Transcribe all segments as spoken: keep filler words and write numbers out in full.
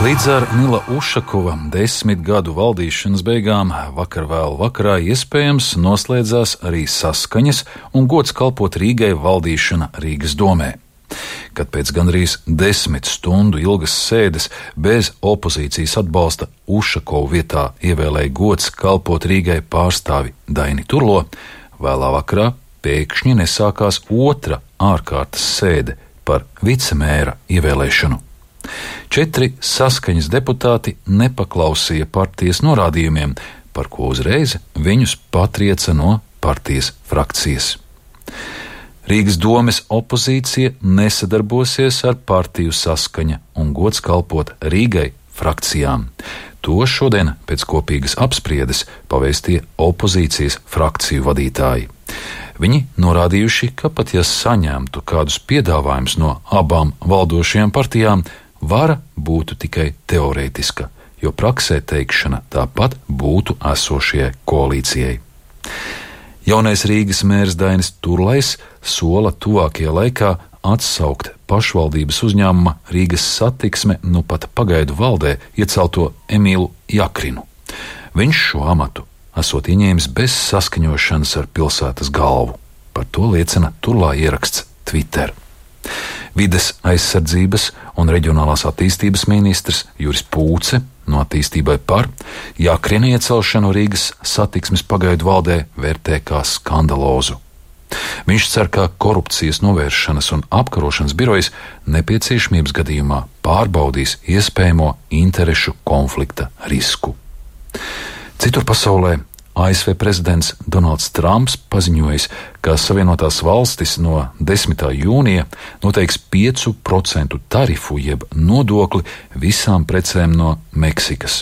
Līdz ar Nila Ušakova desmit gadu valdīšanas beigām vakar vēl vakarā iespējams noslēdzās arī saskaņas un gods kalpot Rīgai valdīšana Rīgas domē. Kad pēc gandrīz desmit stundu ilgas sēdes bez opozīcijas atbalsta Ušakovu vietā ievēlēja gods kalpot Rīgai pārstāvi Daini Turlo, vēlā vakarā pēkšņi nesākās otra ārkārtas sēde par vicemēra ievēlēšanu. Četri saskaņas deputāti nepaklausīja partijas norādījumiem, par ko uzreiz viņus patrieca no partijas frakcijas. Rīgas domes opozīcija nesadarbosies ar partiju Saskaņa un gods kalpot Rīgai frakcijām. To šodien pēc kopīgas apspriedes pavēstīja opozīcijas frakciju vadītāji. Viņi norādījuši, ka pat ja saņemtu kādus piedāvājumus no abām valdošajām partijām, vara būtu tikai teorētiska, jo praksē teikšana tāpat būtu esošajai koalīcijai. Jaunais Rīgas mērs Dainis Turlais sola tuvākajā laikā atsaukt pašvaldības uzņēmuma Rīgas satiksme nu pat pagaidu valdē iecelto Emīlu Jakrinu. Viņš šo amatu esot ieņēmis bez saskaņošanas ar pilsētas galvu. Par to liecina Turlā ieraksts Twitter. Vides aizsardzības un reģionālās attīstības ministrs Juris Pūce no Attīstībai par Jakrina iecelšanu Rīgas satiksmes pagaidu valdē vērtē kā skandalozu. Viņš cer, ka korupcijas novēršanas un apkarošanas birojas nepieciešamības gadījumā pārbaudīs iespējamo interešu konflikta risku. Citur pasaulē A S V prezidents Donalds Trumps paziņojis, ka Savienotās valstis no desmitā jūnija noteiks piecu procentu tarifu jeb nodokli visām precēm no Meksikas.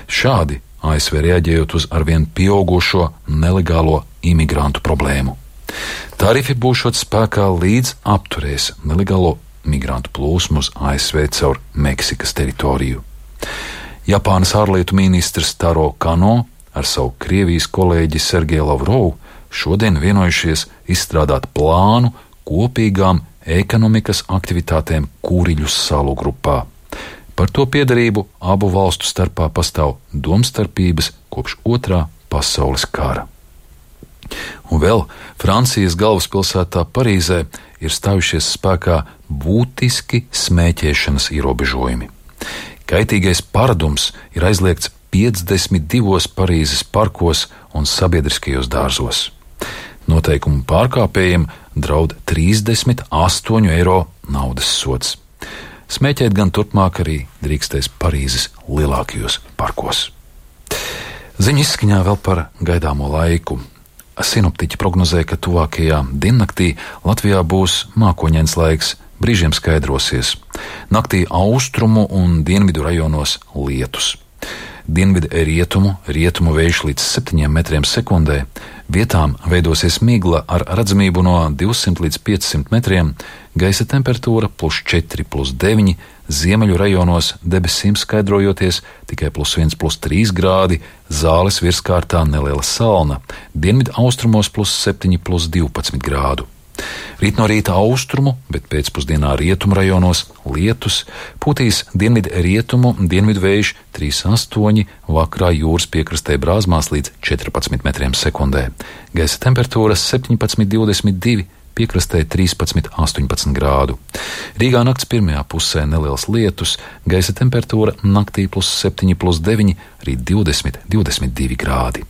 Šādi A S V reaģējot uz arvien pieaugušo nelegālo imigrantu problēmu. Tarifi būšot spēkā līdz apturēs nelegālo migrantu plūsmu uz A S V caur Meksikas teritoriju. Japānas ārlietu ministrs Taro Kano ar savu Krievijas kolēģi Sergeju Lavrovu šodien vienojušies izstrādāt plānu kopīgām ekonomikas aktivitātēm Kuriļu salu grupā. Par to piederību abu valstu starpā pastāv domstarpības kopš otrā pasaules kara. Un vēl Francijas galvaspilsētā Parīzē ir stājušies spēkā būtiski smēķēšanas ierobežojumi. Kaitīgais paradums ir aizliegts piecdesmit divos Parīzes parkos un sabiedriskajos dārzos. Noteikumu pārkāpējiem draud trīsdesmit astoņu eiro naudas sods. Smēķēt gan turpmāk arī drīkstēs Parīzes lielākajos parkos. Ziņu izskaņā vēl par gaidāmo laiku. Sinoptiķi prognozē, ka tuvākajā diennaktī Latvijā būs mākoņains laiks, brīžiem skaidrosies. Naktī austrumu un dienvidu rajonos lietus. Dienvidu rietumu, rietumu vējš līdz septiņiem metriem sekundē, vietām veidosies migla ar redzamību no divsimt līdz piecsimt metriem, gaisa temperatūra plus četri, plus deviņi, ziemeļu rajonos debesīm skaidrojoties tikai plus viens, plus trīs grādi, Zāles virskārtā neliela salna, dienvidu austrumos plus septiņi, plus divpadsmit grādu. Rīt no rīta austrumu, bet pēcpusdienā rietumu rajonos lietus, pūtīs dienvidu rietumu, dienvidu vējš trīs astoņi, vakarā jūras piekrastē brāzmās līdz četrpadsmit metriem sekundē. Gaisa temperatūra septiņpadsmit, divdesmit divi, piekrastē trīspadsmit, astoņpadsmit grādu. Rīgā nakts pirmajā pusē neliels lietus, gaisa temperatūra naktī plus septiņi, plus deviņi, rīt divdesmit, divdesmit divi grādi.